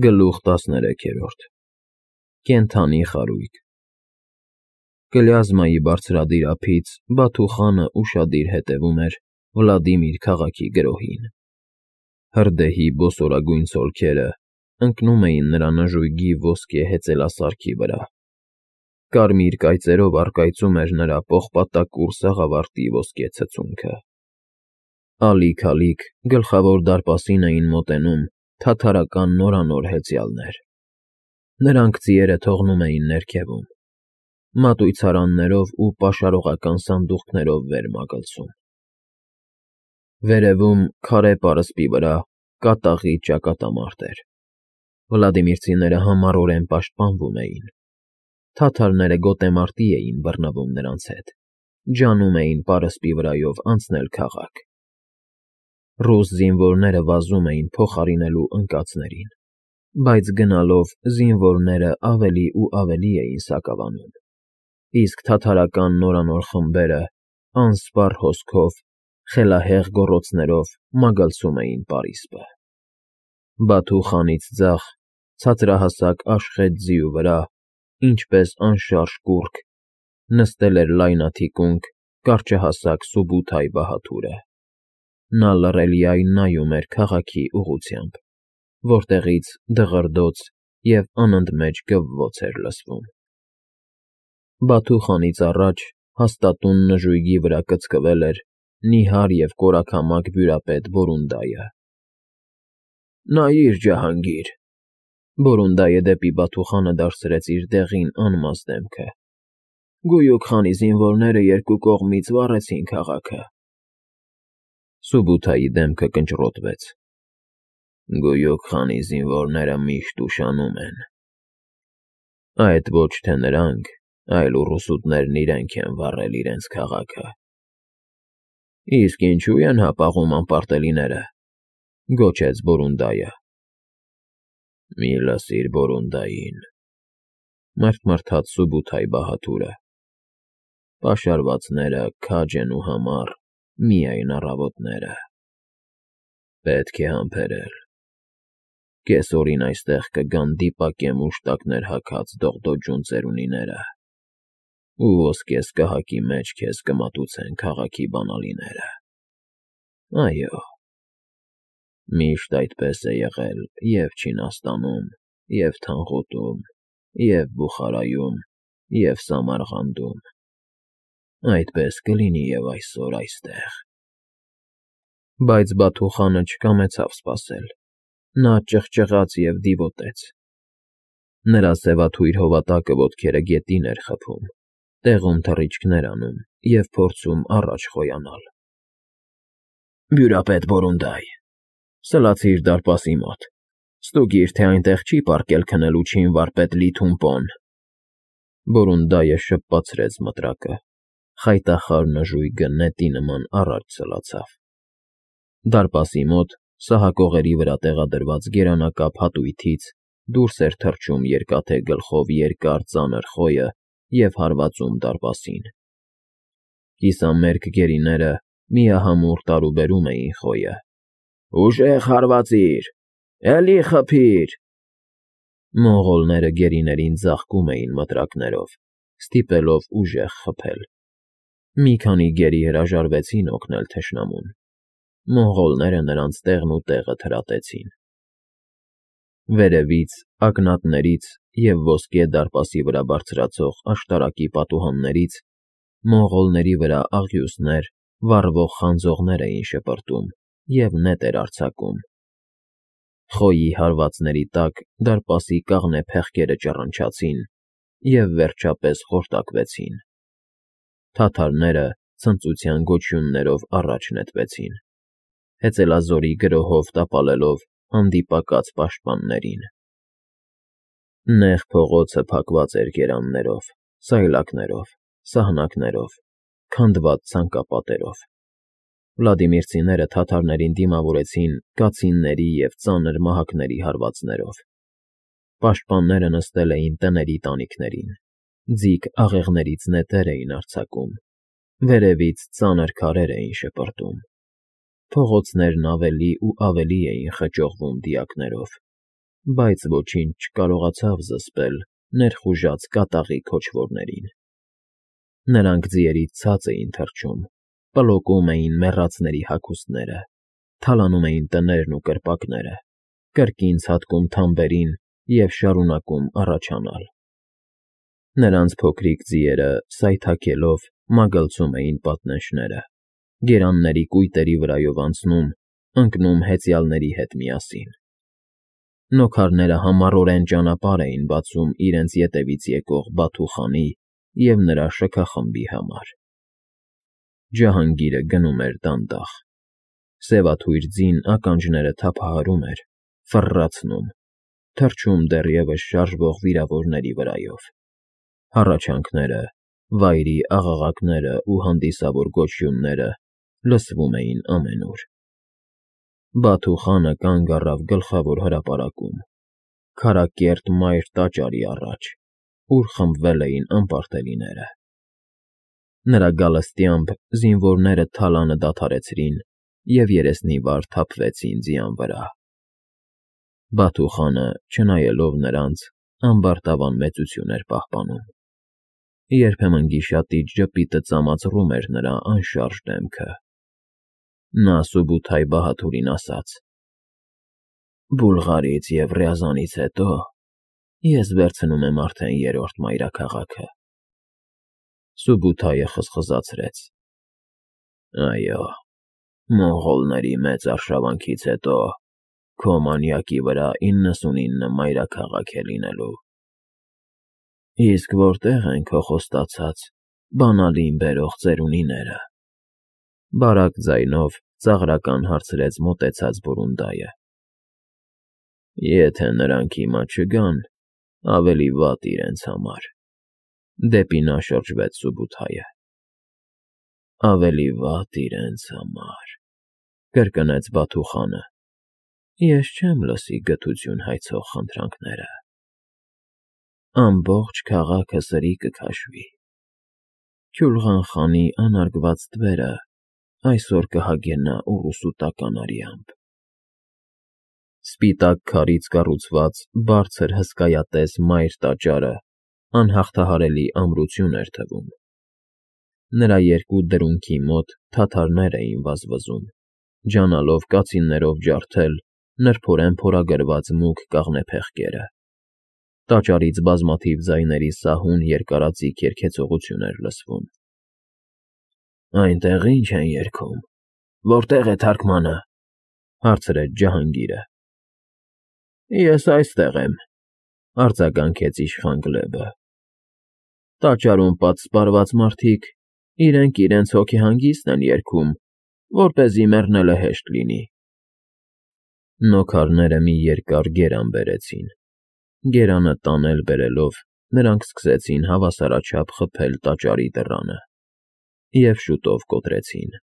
Գլուխ 13 Կենդանի խարույկ Կլյազմայի բարձրադիր ափից Բաթու խանը ուշադիր հետևում էր Վլադիմիր քաղաքի գրոհին։ Հրդեհի բոսորագույն ցոլքերը ընկնում էին նրա նժույգի ոսկե հեծելասարքի վրա։ Կարմիր կայծերով առկայծում էր նրա պողպատակուռ սաղավարտի ոսկե ցցունքը։ Ալիք-ալիք գլխավոր դարպասին էին մոտենում թաթարական նորանոր հեծյալներ։ Նրանք ձիերը թողնում էին ներքևում, մատույցարաններով ու պաշարողական սանդուղքներով վեր մագլցում։ Վերևում, քարե պարսպի վրա, կատաղի ճակատամարտ էր։ Վլադիմիրցիները համառորեն պաշտպանվում էին։ Թաթարները գոտեմարտի էին բռնվում նրանց հետ, ջանում էին պարսպի վրայով անցնել քաղաք։ Ռուս զինվորները վազում էին փոխարինելու ընկածներին, բայց գնալով զինվորները ավելի ու ավելի էին սակավանում, իսկ թաթարական նորանոր խմբերը անսպառ հոսքով, խելահեղ գոռոցներով մագլցում էին պարիսպը։ Բաթու խանից ձախ, ցածրահասակ աշխետ ձիու վրա, ինչպես անշարժ կուռք, նստել էր լայնաթիկունք, կարճահասակ Սուբութայ բահադուրը։ Նա լռելիայն նայում էր քաղաքի ուղղությամբ, որտեղից դղրդոց և անընդմեջ գվվոց էր լսվում։ Բաթու խանից առաջ հաստատուն նժույգի վրա կծկվել էր նիհար և կորաքամակ բյուրապետ Բորունդայը։ «Նայիր, ջահանգիր,» Բորունդայը դեպի Բաթու խանը դարձրեց իր դեղին անմազ դեմքը։ «Գույուք խանի զինվորները երկու կողմից վառեցին քաղաքը»։ Սուբութայի դեմքը կնճռոտվեց։ «Գույուք խանի զինվորները միշտ ուշանում են։ Այդ ոչ թե նրանք, այլ ուռուսուտներն իրենք են վառել իրենց քաղաքը»։ «Իսկ ինչու են հապաղում անպարտելիները,֊ գոչեց Բորունդայը։ «Մի լսիր Բորունդային,֊ մռթմռթաց Սուբութայ բահադուրը։ «Պաշարվածները քաջ են ու համառ միայն առավոտները։ Պետք է համբերել։ Կեսօրին այստեղ կգան դիպակե մուշտակներ հագած դողդոջուն ծերունիները ու ոսկե սկահակի մեջ քեզ կմատուցեն քաղաքի բանալիները։ Այո, միշտ այդպես է եղել և Չինաստանում, և Թանղուտում, և Բուխարայում, և Սամարղանդում։ Այդպես կլինի և այսօր այստեղ»։ Բայց Բաթու խանը չկամեցավ սպասել։ Նա ճղճղաց և դիվոտեց։ Նրա սևաթույր հովատակը ոտքերը գետին էր խփում, տեղում թռիչքներ անում և փորձում առաջ խոյանալ։ «Բյուրապետ Բորունդայ, սլացիր դարպասի մոտ, ստուգիր, թե այնտեղ չի պառկել քնելու չին վարպետ Լի Թումպոն»։ Բորունդայը շպացրեց մտրակը, խայտախար նժույգը նետի նման առաջ սլացավ։ Դարպասի մոտ, սահակողերի վրա տեղադրված գերանակապ հատույթից դուրս էր թռչում երկաթե գլխով երկար ծանր խոյը և հարվածում դարպասին։ Կիսամերկ գերիները միահամուռ տարուբերում էին խոյը։ «Ուժեղ հարվածիր, էլի խփիր»։ Մոնղոլները գերիներին ձաղկում էին մտրակներով, ստիպելով ուժեղ խփել։ Մի քանի գերի հրաժարվեցին օգնել թշնամուն։ Մոնղոլները նրանց տեղն ու տեղը թրատեցին։ Վերևից, ակնատներից և ոսկե դարպասի վրա բարձրացող աշտարակի պատուհաններից մոնղոլների վրա աղյուսներ, վառվող խանձողներ էին շպրտում և նետ էր արձակում։ Խոյի հարվածների տակ դարպասի կաղնե փեղկերը ճռնչացին և վերջապես խորտակվեցին։ Թաթարները ցնծության գոչյուններով առաջ նետվեցին, հեծելազորի գրոհով տապալելով հանդիպակաց պաշտպաններին։ Նեղ փողոցը փակված էր գերաններով, սայլակներով, սահնակներով, քանդված ցանկապատերով։ Վլադիմիրցիները թաթարներին դիմավորեցին կացինների և ծանր մահակների հարվածներով։ Պաշտպանները նստել էին տների տանիքներին, ձիգ աղեղներից նետեր էին արձակում, վերևից ծանր քարեր էին շպրտում։ Փողոցներն ավելի ու ավելի էին խճողվում դիակներով, բայց ոչինչ չկարողացավ զսպել ներխուժած կատաղի քոչվորներին։ Նրանք ձիերից ցած էին թռչում, պլոկում էին մեռածների հագուստները, թալանում էին տներն ու կրպակները, կրկին ցատկում թամբերին և շարունակում առաջանալ։ Նրանց փոքրիկ ձիերը սայթաքելով մագլցում էին պատնեշները, գերանների կույտերի վրայով անցնում, ընկնում հեծյալների հետ միասին։ Նոքարները համառորեն ճանապարհ էին բացում իրենց ետևից եկող Բաթուխանի և նրա շքախմբի համար։ Ջահանգիրը գնում էր դանդաղ։ Սևաթույր ձին ականջները թափահարում էր, ֆռռացնում, թռչում դեռևս շարժվող վիրավորների վրայով։ Հառաչանքները, վայրի աղաղակները ու հանդիսավոր գոչյունները լսվում էին ամենուր։ Բաթուխանը կանգ առավ գլխավոր հրապարակում, քարակերտ մայր տաճարի առաջ, ուր խմբվել էին անպարտելիները։ Նրա գալստյամբ զինվորները թալանը դադարեցրին և երեսնիվար թափվեցին ձիան վրա։ Բաթուխանը, չնայելով նրանց, ամբարտավան մեծություն էր պահպանում։ Երբեմն գիշատիչ ժպիտը ծամածռում էր նրա անշարժ դեմքը։ Նա Սուբութայ Բահադուրին ասաց. «Բուլղարից և Ռյազանից հետո ես վերցնում եմ արդեն երրորդ մայրաքաղաքը»։ Սուբութայը խզխզացրեց. «Այո, մոնղոլների մեծ արշավանքից հետո քո մանյակի վրա 99 մայրաքաղաք է լինելու։ Իսկ որտե՞ղ են քո խոստացած բանալին բերող ծերունիները»։ Բարակ ձայնով ծաղրական հարցրեց մոտեցած բորունդայը։ «Եթե նրանք հիմա չգան, ավելի վատ իրենց համար», դեպի նա շրջվեց Սուբութայը։ «Ավելի վատ իրենց համար», կրկնեց Բաթուխանը։ «Ես չեմ լսի գթություն հայցող խնդրանքները։ Ամբողջ քաղաքը սրի կքաշվի։ Քյուլղան խանի անարգված թվերը այսօր կհագենա ուռուսուտական արյամբ»։ Սպիտակ քարից կառուցված բարձր հսկայատես մայր տաճարը անհաղթահարելի ամրություն էր թվում։ Նրա երկու դրունքի մոտ թաթարներ էին վազվզում, ջանալով կացիններով ջարդել նրբորեն փորագրված մուգ կաղնեփեղկերը։ Տաճարից բազմաթիվ ձայների սահուն երկարաձիգ երգեցողություն էր լսվում։ «Այնտեղ ի՞նչ են երգում, որտե՞ղ է թարգմանը», հարցրեց Ջահանգիրը։ «Ես այստեղ եմ», արձագանքեց իշխան Գլեբը։ «Տաճարում պատսպարված մարդիկ իրենք հոգեհանգիստն են երգում, որպեսզի մեռնելը հեշտ լինի»։ Նոքարները մի երկար գերան բերեցին։ Գերանը տանել֊բերելով նրանք սկսեցին հավասարաչափ խփել տաճարի դռանը և շուտով կոտրեցին։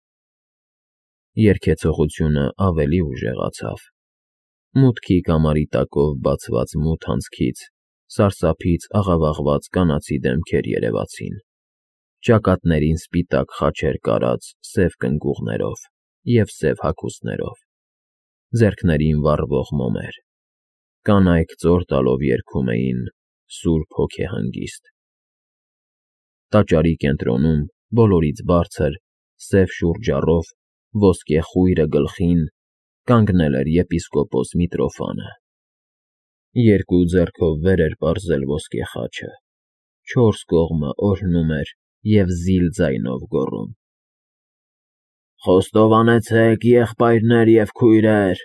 Երգեցողությունը ավելի ուժեղացավ։ Մուտքի կամարի տակով բացված մութ անցքից սարսափից աղավաղված կանացի դեմքեր երևացին, ճակատներին սպիտակ խաչեր կարած սև կնգուղներով և սև հագուստներով, ձեռքներին վառվող մոմեր։ Կանայք ծոր տալով երգում էին «Սուրբ հոգեհանգիստ»։ Տաճարի կենտրոնում, բոլորից բարձր, սև շուրջառով, ոսկե խույրը գլխին, կանգնել էր եպիսկոպոս Միտրոֆանը։ Երկու ձեռքով վեր էր պարզել ոսկե խաչը, չորս կողմը օրհնում էր և զիլ ձայնով գոռում. «Խոստովանեցեք, եղբայրներ և քույրեր,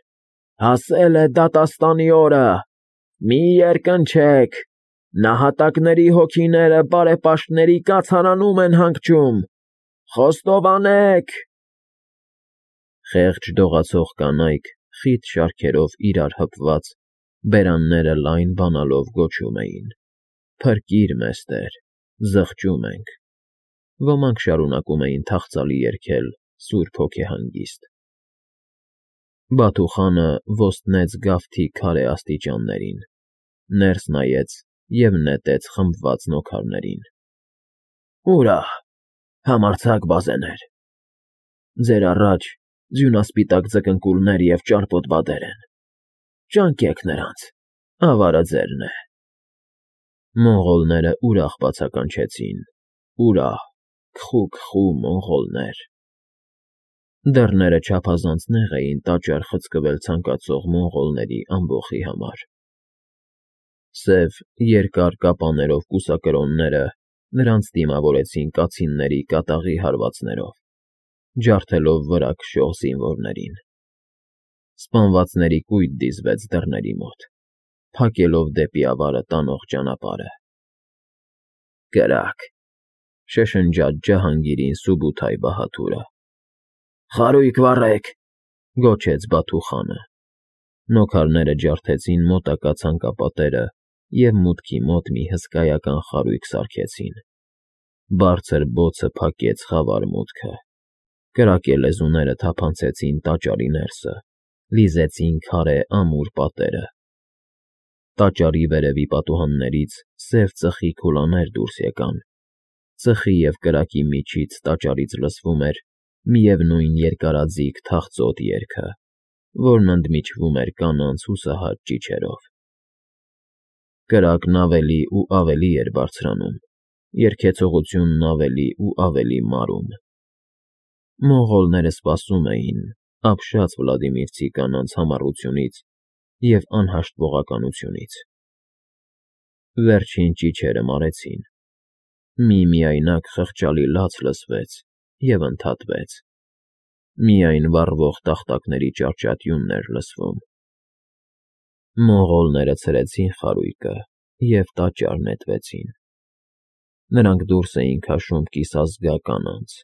հասել է դատաստանի օրը, մի երկնչեք, նահատակների հոգիները բարեպաշտների կացարանում են հանգչում, խոստովանեք»։ Խեղճ դողացող կանայք խիտ շարքերով իրար հպված բերանները լայն բանալով գոչում էին. «Փրկիր մեզ, Տեր, զղջում ենք»։ Ոմանք շարունակում էին թախծալի երգել «Սուրբ հոգեհանգիստ»։ Բաթուխանը ոստնեց գավթի քարե աստիճաններին, ներս նայեց և նետեց խմբված նոքարներին։ «Ուրա՜հ, համարձակ բազեներ։ Ձեր առաջ ձյունասպիտակ ձկնկուլներ և ճարպոտ բադեր են։ Ճանկեք նրանց, ավարը ձերն է։ Մոնղոլները ուրախ բացականչեցին, ուրախ, քխու մոնղոլներ։ Դռները չափազանց նեղ էին տաճար խցկվել ցանկացող մոնղոլների ամբոխի համար։ Սև, երկար կապաներով կուսակրոնները նրանց դիմավորեցին կացինների կատաղի հարվածներով, ջարդելով վրա քշող զինվորներին։ Սպանվածների կույտ դիզվեց դռների մոտ, փակելով դեպի ավարը տանող ճանապարհը։ Կրակ, շշնջաց Ջահանգիրին Սուբութայ բահադուրը։ Խարույկ վառեք, գոչեց Բաթու խանը։ Նոքարները ջարդեցին մոտակա ցանկապատերը և մուտքի մոտ մի հսկայական խարույկ սարքեցին։ Բարձր բոցը փակեց խավար մուտքը։ Կրակե լեզուները թափանցեցին տաճարի ներսը, լիզեցին քարե ամուր պատերը։ Տաճարի վերևի պատուհաններից սև ծխի քուլաներ դուրս եկան։ Ծխի և կրակի միջից տաճարից լսվում էր միևնույն երկարաձիգ թախծոտ երգը, որն ընդմիջվում էր կանանց հուսահատ ճիչերով։ Կրակն ավելի ու ավելի էր բարձրանում, երգեցողությունն ավելի ու ավելի մարում։ Մոնղոլները սպասում էին ապշած վլադիմիրցի կանանց համառությունից և անհաշտվողականությունից։ Վերջին ճիչերը մարեցին։ Մի միայնակ խղճալի լաց լսվեց և ընդհատվեց։ Միայն վառվող տախտակների ճարճատյունն էր լսվում։ Մոնղոլները ցրեցին խարույկը և տաճար նետվեցին։ Նրանք դուրս էին քաշում կիսազգա կանանց,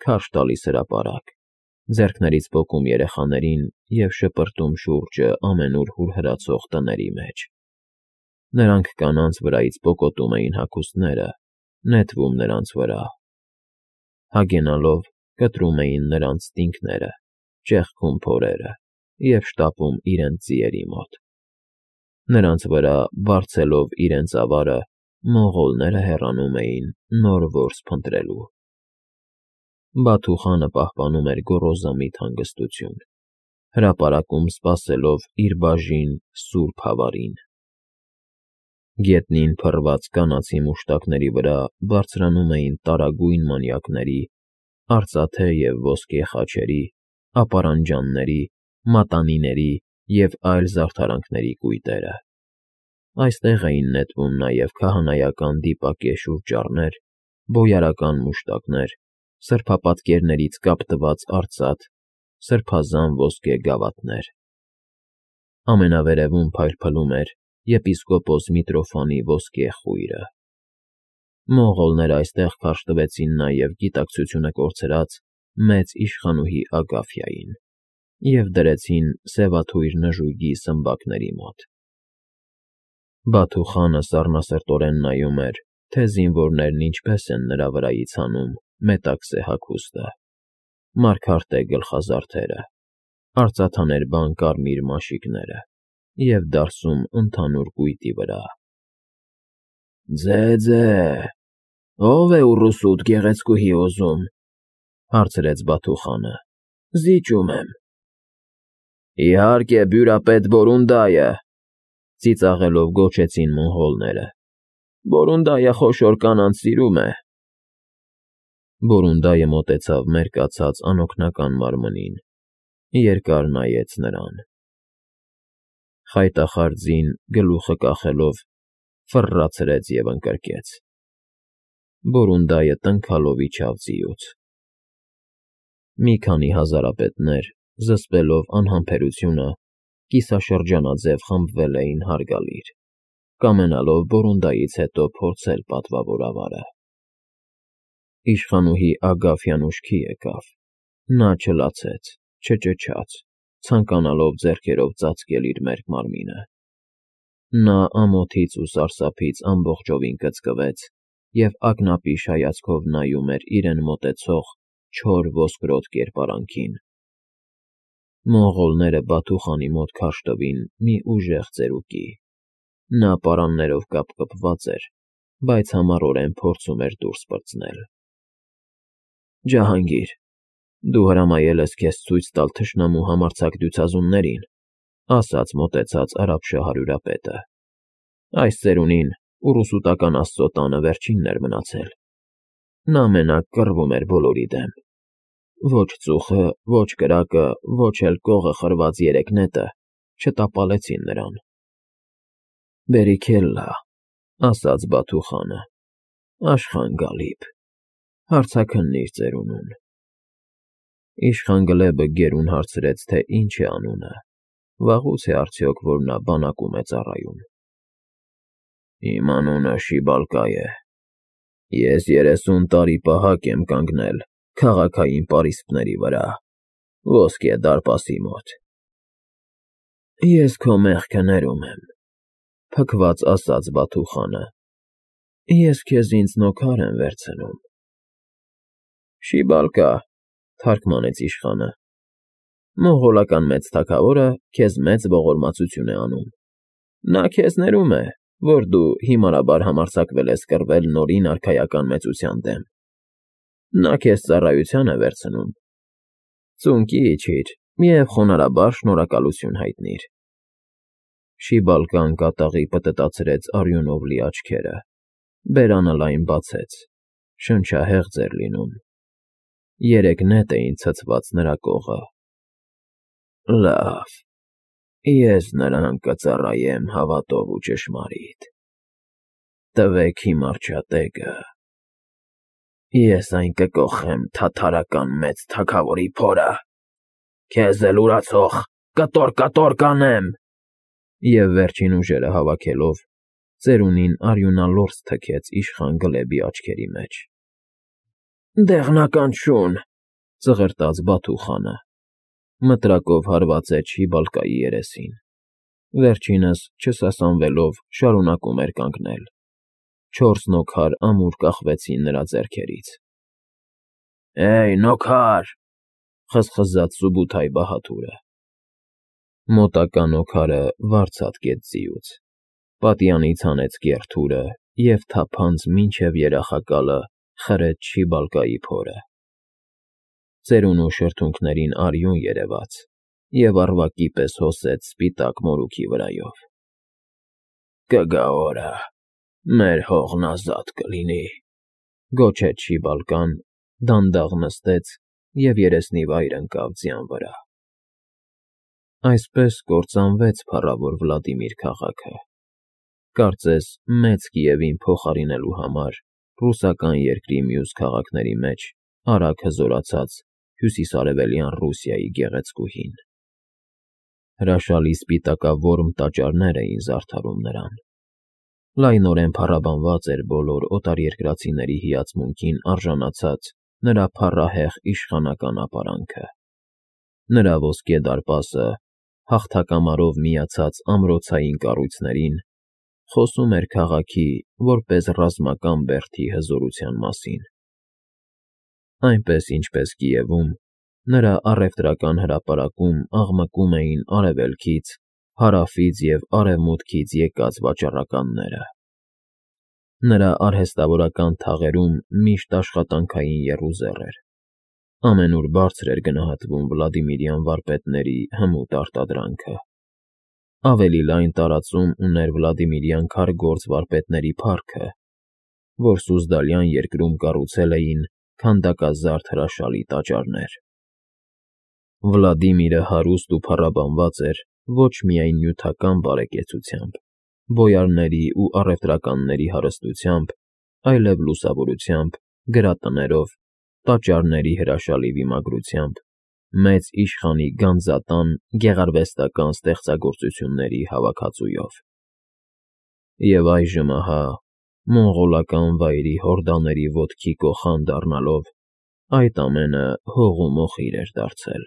քարշ տալիս հրապարակ, ձեռքներից պոկում երեխաներին և շպրտում շուրջը ամենուր հուրհրացող տների մեջ։ Նրանք կանանց վրայից պոկոտում էին հագուստները, նետվում նրանց վրա։ Հագենալով կտրում էին նրանց ստինգները, ճեղքում փորերը և շտապում իրենց ձիերի մոտ։ Նրանց վրա, բարձելով իրենց ավարը, մոնղոլները հեռանում էին նոր որս փնտրելու։ Բաթու խանը պահպանում էր գոռոզամիտ հանգստություն, հրապարակում սպասելով իր բաժին սուրբ հավարին։ Գետնին փռված կանացի մուշտակների վրա բարձրանում էին տարագույն մանյակների, արծաթե և ոսկե խաչերի, ապարանջանների, մատանիների և այլ զարդարանքների կույտերը։ Այստեղ էին նետվում նաև քահանայական դիպակե շուրճառներ, բոյարական մուշտակներ, սրբապատկերներից կապտված արծաթ, սրբազան ոսկե գավաթներ։ Ամենավերևում փայլփլում էր եպիսկոպոս Միտրոֆանի ոսկե խույրը։ Մոնղոլները այստեղ քարշ տվեցին նաև գիտակցությունը կորցրած մեծ իշխանուհի Ագաֆյային և դրեցին սևաթույր նժույգի սմբակների մոտ։ Բաթու խանը սառնասրտորեն նայում էր, թե զինվորներն ինչպես են նրա վրայից հանում մետաքսե հագուստը, մարգարտե գլխազարդերը, արծաթաներբան կարմիր մաշիկները և դարսում ընդհանուր կույտի վրա։ Ձե, ո՞վ է ուռուսուդ գեղեցկուհի ուզում, հարցրեց Բաթու խանը։ Զիջում եմ։ Իհարկե, բյուրապետ Բորունդայը, ծիծաղելով գոչեցին մոնղոլները։ Բորունդայը խոշոր կանանց սիրում է։ Բորունդայը մոտեցավ մերկացած անօգնական մարմնին, երկար նայեց նրան։ Խայտախար ձին, գլուխը կախելով, ֆռռացրեց և ընկրկեց։ Բորունդայը տնքալով իջավ ձիուց։ Մի քանի հազարապետներ, զսպելով անհամբերությունը, կիսաշրջանաձև խմբվել էին հարգալիր, կամենալով Բորունդայից հետո փորձել պատվավոր ավարը։ Իշխանուհի Ագաֆյան ուշքի եկավ։ Նա չլացեց, չճչաց, ցանկանալով ձեռքերով ծածկել իր մերկ մարմինը։ Նա ամոթից ու սարսափից ամբողջովին կծկվեց և ակնապիշ հայացքով նայում էր իրեն մոտեցող չոր ոսկրոտ կերպարանքին։ Մոնղոլները Բաթու խանի մոտ քարշ տվին մի ուժեղ ծերուկի։ Նա պարաններով կապկպված էր, բայց համառորեն փորձում էր դուրս պրծնել։ Ջահանգիր, դու հրամայել ես քեզ ցույց տալ թշնամու համարձակ դյուցազուններին։ ասաց մոտեցած արաբ շահարյուրապետը։ Այս ծերունին ուռուսուտական աստծո տանը վերջինն էր մնացել։ Նա մենակ կռվում էր բոլորի դեմ։ Ոչ ծուխը, ոչ կրակը, ոչ էլ կողը խրված երեք նետը չտապալեցին նրան։ Բերիքելլա, ասաց Բաթուխանը, Աշխան Գալիբ, հարցաքննիր ծերունուն։ Իշխան Գլեբը գերուն հարցրեց, թե ինչ է անունը, վաղուց է արդյոք, որ նա բանակում է ծառայում։ Իմ անունը Շիբալկա է։ Ես 30 տարի պահակ եմ կանգնել քաղաքային պարիսպների վրա, ոսկե դարպասի մոտ։ Ես քո մեղքը ներում եմ, փքված ասաց Բաթուխանը։ Ես քեզ ինձ նոքար եմ վերցնում։ Շիբալկա, թարգմանեց իշխանը, մոնղոլական մեծ թագավորը քեզ մեծ ողորմածություն է անում։ Նա քեզ ներում է, որ դու հիմարաբար համարձակվել ես կռվել նորին արքայական մեծության դեմ։ Նա քեզ ծառայության է վերցնում։ Ծունկի իջիր և խոնարհաբար շնորհակալություն հայտնիր։ Շիբալկան կատաղի պտտացրեց արյունով լի աչքերը, բերանը լայն բացեց, շնչահեղձ էր լինում։ 3 նետ էին ցցված նրա կողը։ Լավ, ես նրան կծառայեմ հավատով ու ճշմարիտ։ Տվեք հիմար չատեկը։ Ես այն կկոխեմ թաթարական մեծ թագավորի փորը։ Քեզ էլ ուրացող կտոր կանեմ։ Եվ վերջին ուժերը հավաքելով, ծերունին արյունալորձ թքեց իշխան Գլեբի աչքերի մեջ։ Դեղնական շուն, ծղրտաց Բաթուխանը, մտրակով հարվածեց Շիբալկայի երեսին։ Վերջինս, չսասանվելով, շարունակում էր կանգնել։ 4 նոքար ամուր կախվեցին նրա ձեռքերից։ Էյ, նոքար, խզխզաց Սուբութայ բահադուրը։ Մոտակա նոքարը վարձատկեց ձիուց, պատյանից հանեց կեռ և թափանց մինչև երախակալը խրեց Շիբալկայի փորը։ Ծերունու շրթունքներին արյուն երևաց և առվակի պես հոսեց սպիտակ մորուքի վրայով։ Կգա օրը, մեր հողն ազատ կլինի, գոչեց Շիբալկան, դանդաղ նստեց և երեսնիվայր ընկավ ձյան վրա։ Այսպես կործանվեց փառավոր Վլադիմիր քաղաքը, կարծես Մեծ Կիևին փոխարինելու համար ռուսական երկրի մյուս քաղաքների մեջ արագ հզորացած հյուսիսարևելյան Ռուսիայի գեղեցկուհին։ Հրաշալի սպիտակավորմ տաճարներ էին զարդարում նրան։ Լայնորեն փառաբանված էր բոլոր օտարերկրացիների հիացմունքին արժանացած նրա փառահեղ իշխանական ապարանքը։ Նրա ոսկե դարպասը, հաղթակամարով միացած ամրոցային կառույցներին, խոսում էր քաղաքի որպես ռազմական բերդի հզորության մասին։ Այնպես, ինչպես Կիևում, նրա առևտրական հրապարակում աղմկում էին արևելքից, հարավից և արևմուտքից եկած վաճառականները։ Նրա արհեստավորական թաղերում միշտ աշխատանքային եռուզեռ էր։ Ամենուր բարձր էր գնահատվում վլադիմիրյան վարպետների հմուտ արտադրանքը։ Ավելի լայն տարածում ուներ վլադիմիրյան քարգործ վարպետների փառքը, որ Սուզդալյան երկրում կառուցել էին քանդակազարդ հրաշալի տաճարներ։ Վլադիմիրը հարուստ ու փառաբանված էր ոչ միայն նյութական բարեկեցությամբ, բոյարների ու առևտրականների հարստությամբ, այլև լուսավորությամբ, գրատներով, տաճարների հրաշալի վիմագրությամբ, մեծ իշխանի գանձատան գեղարվեստական ստեղծագործությունների հավաքածուով։ Եվ այժմ ահա, մոնղոլական վայրի հորդաների ոտքի կոխան դառնալով, այդ ամենը հող ու մոխիր էր դարձել։